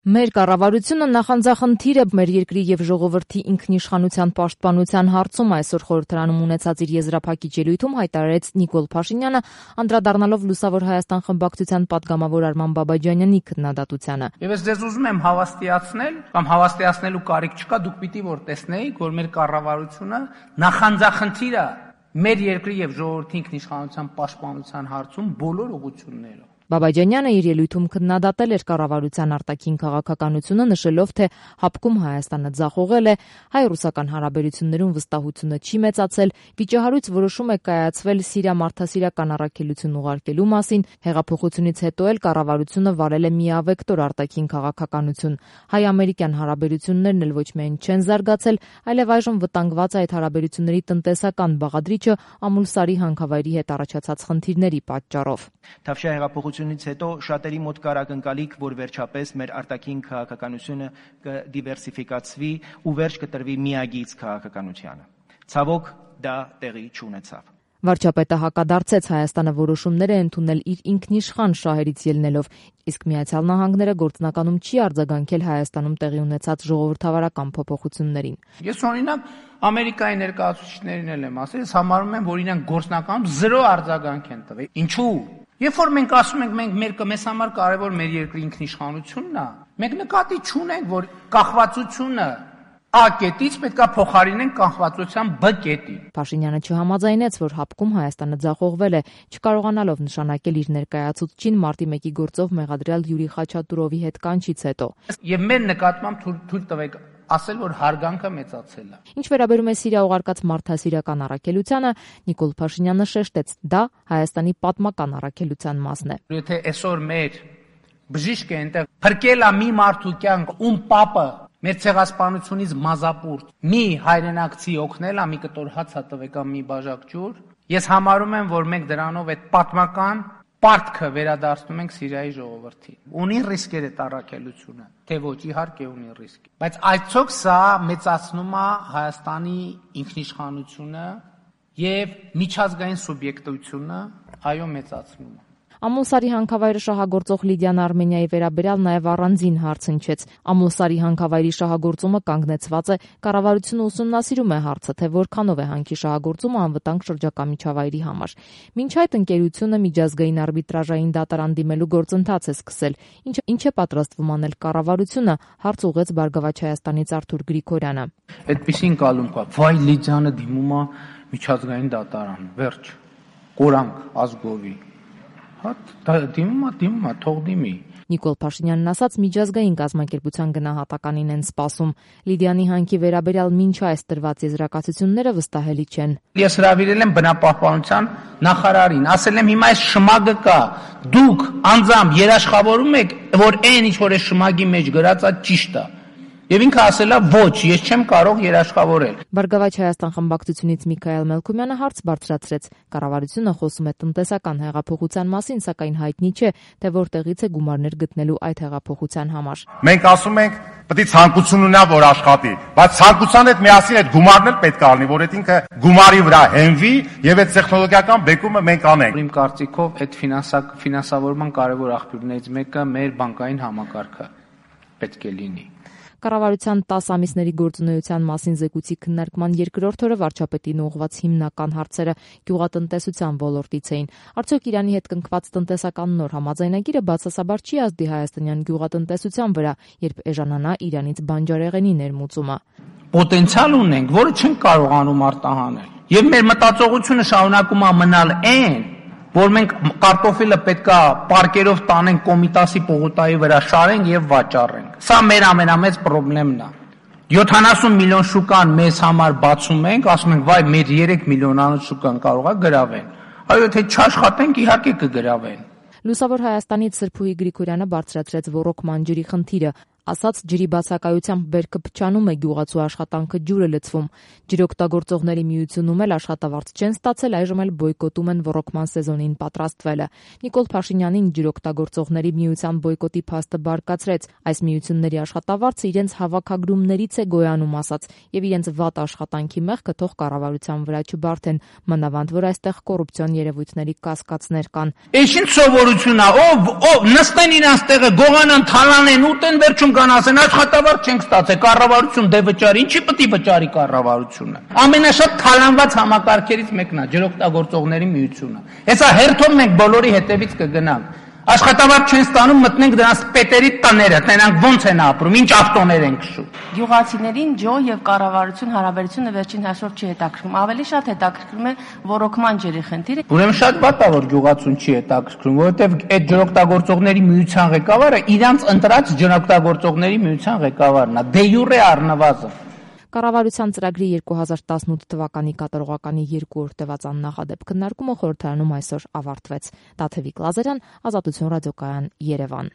Մեր կառավարությունը նախանձախնդիր է մեր երկրի եւ ժողովրդի ինքնիշխանության պաշտպանության հարցում, այսօր խորհրդարանում ունեցած իր եզրափակիչ ելույթում հայտարարեց Նիկոլ Փաշինյանը, անդրադառնալով Լուսավոր Հայաստան խմբակցության պատգամավոր Արման Բաբաջանյանի քննադատությանը։ Եվ ես ձեզ ուզում եմ հավաստիացնել, կամ հավաստիացնելու կարիք չկա, դուք պիտի որ տեսնեիք, որ մեր կառավարությունը նախանձախնդիր է մեր երկրի եւ ժողովրդի ինքնիշխանության պաշտպանության հարցում բոլոր ուղղություններով։ Բաբաջանյանը իր ելույթում քննադատել էր կառավարության արտաքին քաղաքականությունը, նշելով, թե հապկում Հայաստանը ձախողել է, հայ-ռուսական հարաբերություններում վստահությունը չի մեծացել, վիճահարույց որոշում է կայացվել Սիրիա-մարդասիրական առաքելություն ուղարկելու մասին, հեղափոխությունից հետո էլ կառավարությունը վարել է միավեկտոր արտաքին քաղաքականություն։ Հայ-ամերիկյան հարաբերություններն էլ ոչ միայն չեն զարգացել, այլև այժմ վտանգված է այդ հարաբերությունների տնտեսական բաղադրիչը Ամուլսարի հանքավայրի հետ առաջացած խնդիրների պատճառով։ Թավշյա հեղափոխությունից հետո շատերի մոտ կար ակնկալիք, որ վերջապես մեր արտաքին քաղաքականությունը կդիվերսիֆիկացվի ու վերջ կտրվի միագիծ քաղաքականությանը։ Ցավոք, դա տեղի չունեցավ։ Վարչապետը հակադարձեց Հայաստանը որոշումներ է ընդունել իր ինքնիշխան շահերից ելնելով, իսկ Միացյալ Նահանգները գործնականում չի արձագանքել Հայաստանում տեղի ունեցած ժողովրդավարական փոփոխություններին։ Ես օրինակ Ամերիկայի ներկայացուցիչներին էլ եմ ասել, ես համարում եմ, որ իրանք գործնականում 0 արձագանք են տվել։ Ինչու՞։ Երբ որ մենք ասում ենք մեզ համար կարևոր մեր երկրի ինքնիշխանությունն է, մենք նկատի չունենք, որ կախվածությունը A կետից պետք է փոխարինենք կախվածության B կետին։ Փաշինյանը չհամաձայնեց, որ հապկում Հայաստանը ձախողվել է, չկարողանալով նշանակել իր ներկայացուցչին մարտի 1-ի գործով մեղադրյալ Յուրի Խաչատուրովի հետ կանչից հետո։ Եվ մեր նկատմամբ թույլ տվեք ասել, որ հարգանքը մեծացել է։ Ինչ վերաբերում է Սիրիա ուղարկած մարդասիրական առաքելությանը, Նիկոլ Փաշինյանը շեշտեց, դա Հայաստանի պատմական առաքելության մասն է։ Եթե այսօր մեր բժիշկը այնտեղ փրկել է մի մարդու կյանք, ում պապը մեր ցեղասպանությունից մազապուրտ, մի հայրենակցի օգնել է, մի կտոր հաց տվեք, մի բաժակ ջուր, ես համարում եմ, որ մենք դրանով այդ պատմական պարտքը վերադարձնում ենք Սիրիայի ժողովրդին։ Ունի ռիսկեր այդ առաքելությունը, թե ոչ, իհարկե ունի ռիսկ։ Բայց այցոք սա մեծացնում է Հայաստանի ինքնիշխանությունը եւ միջազգային սուբյեկտությունը, այո, մեծացնում է։ Ամուլսարի հանքավայրը շահագործող Լիդիան Արմենիայի վերաբերյալ նաև առանձին հարց հնչեց։ Ամուլսարի հանքավայրի շահագործումը կանգնեցված է, կառավարությունը ուսումնասիրում է հարցը, թե որքանով է հանքի շահագործումը անվտանգ շրջակա միջավայրի համար։ Մինչ այդ ընկերությունը միջազգային արբիտրաժային դատարան դիմելու գործընթաց է սկսել, ինչ է պատրաստվում անել կառավարությունը, հարց ուղղեց Բարգավաճ Հայաստանից Արթուր Գրիգորյանը։ Այդպիսին կալում կա, վայ Լիդիանը դիմում է միջազգային դատարան, վերջ, կորանք ազգովի։ Դիմում է, թող դիմի։ Նիկոլ Փաշինյանն ասաց, միջազգային կազմակերպության գնահատականին են սպասում։ Լիդիանի հանքի վերաբերյալ մինչ այս տրված եզրակացությունները վստահելի չեն։ Ես հրավիրել եմ բնապահպանության նախարարին, ասել եմ հիմա այս շմագը կա, դուք անձամբ երաշխավորում եք, որ այն ինչ որ այս շմագի մեջ գրած է ճիշտ է։ Եվ ինքը ասել է ոչ, ես չեմ կարող երաշխավորել։ Բարգավաճ Հայաստան խմբակցությունից Միքայել Մելքումյանը հարց բարձրացրեց։ Կառավարությունը խոսում է տնտեսական հեղափոխության մասին, սակայն հայտնի չէ, թե որտեղից է գումարներ գտնելու այդ հեղափոխության համար։ Մենք ասում ենք, պետք է ցանկություն ունենա, որ աշխատի, բայց ցանկության հետ միասին այդ գումարն էլ պետք է լինի, որ այդ ինքը գումարի վրա հենվի եւ այդ տեխնոլոգիական բեկումը մենք անենք։ Իմ կարծիքով այդ ֆինանսավորման կարևոր աղբյուրներից մեկը մեր բանկային համակարգը պետք է լինի։ Կառավարության 10 ամիսների գործունեության մասին զեկույցի քննարկման երկրորդ օրը վարչապետին ուղղված հիմնական հարցերը գյուղատնտեսության ոլորտից էին։ Արդյոք Իրանի հետ կնքված տնտեսական նոր համաձայնագիրը բացասաբար չի ազդի հայաստանյան գյուղատնտեսության վրա, երբ էժանանա Իրանից բանջարեղենի ներմուծումը։ Պոտենցիալ ունենք, որը չենք կարողանում արտահանել։ Եվ մեր մտածողությունը շարունակում է մնալ այն, որ մենք կարտոֆիլը պետքա պարկերով տանենք Կոմիտասի պողոտայի վրա շարենք եւ վաճառենք։ Սա մեր ամենամեծ խնդիրն է։ 70 միլիոն շուկան մեզ համար բացում ենք, ասում ենք, վայ, մեր 3 միլիոնանոց շուկան կարող է գրավեն։ Այո, եթե չաշխատենք, իհարկե կգրավեն։ Լուսավոր Հայաստանից Սրփուհի Գրիգորյանը բարձրացրեց ոռոգման ջրի խնդիրը, ասաց, ջրի բացակայությամբ բերքը փչանում է, գյուղացու աշխատանքը ջուրը լցվում։ Ջրօգտագործողների միությունում էլ աշխատավարձ չեն ստացել, այժմ էլ բոյկոտում են ռոռոկման սեզոնին պատրաստվելը։ Նիկոլ Փաշինյանին ջրօգտագործողների միության բոյկոտի փաստը բարկացրեց։ Այս միությունների աշխատավարձը իրենց հավաքագրումներից է գոյանում, ասաց, եւ իրենց վատ աշխատանքի մեղքը թող կառավարության վրա չբարթեն, մանավանդ որ այստեղ կոռուպցիոն երևույթների կասկածներ կան։ Ինչ սովորություն է, ով նստեն իրանց տեղը, գողանան, թալանեն, ուտեն, վերջում կան ասեն, աշխատավարձ չենք ստացել, կառավարություն դե վճարի, ինչի պետք է վճարի կառավարությունը։ Ամենաշատ թալանված համակարգերից մեկն է ջրօգտագործողների միությունը։ Հեսա հերթով մենք բոլորի հետևից կգնանք։ Աշխատավարձ չեն ստանում, մտնենք դրանց պետերի տները, տենանք ոնց են ապրում, ինչ ավտոներ են քշում։ Գյուղացիներին ջո եւ կառավարություն հարաբերությունը վերջին հաշվով չի հետաքրքրում, ավելի շատ հետաքրքրում է ռոռոկման ջրի խնդիրը։ Ուրեմն շատ վատ է, որ գյուղացուն չի հետաքրքրում, որովհետեւ այդ ջրօգտագործողների միության ղեկավարը իրանց ընտրած ջրօգտագործողների միության ղեկավարն է, դե յուրե առնվազն։ Կառավարության ծրագրի 2018 թվականի կատարողականի 2-րդ տևած աննախադեպ քննարկումը խորհրդարանում այսօր ավարտվեց։ Տաթևիկ Լազարյան, Ազատություն ռադիոկայան, Երևան։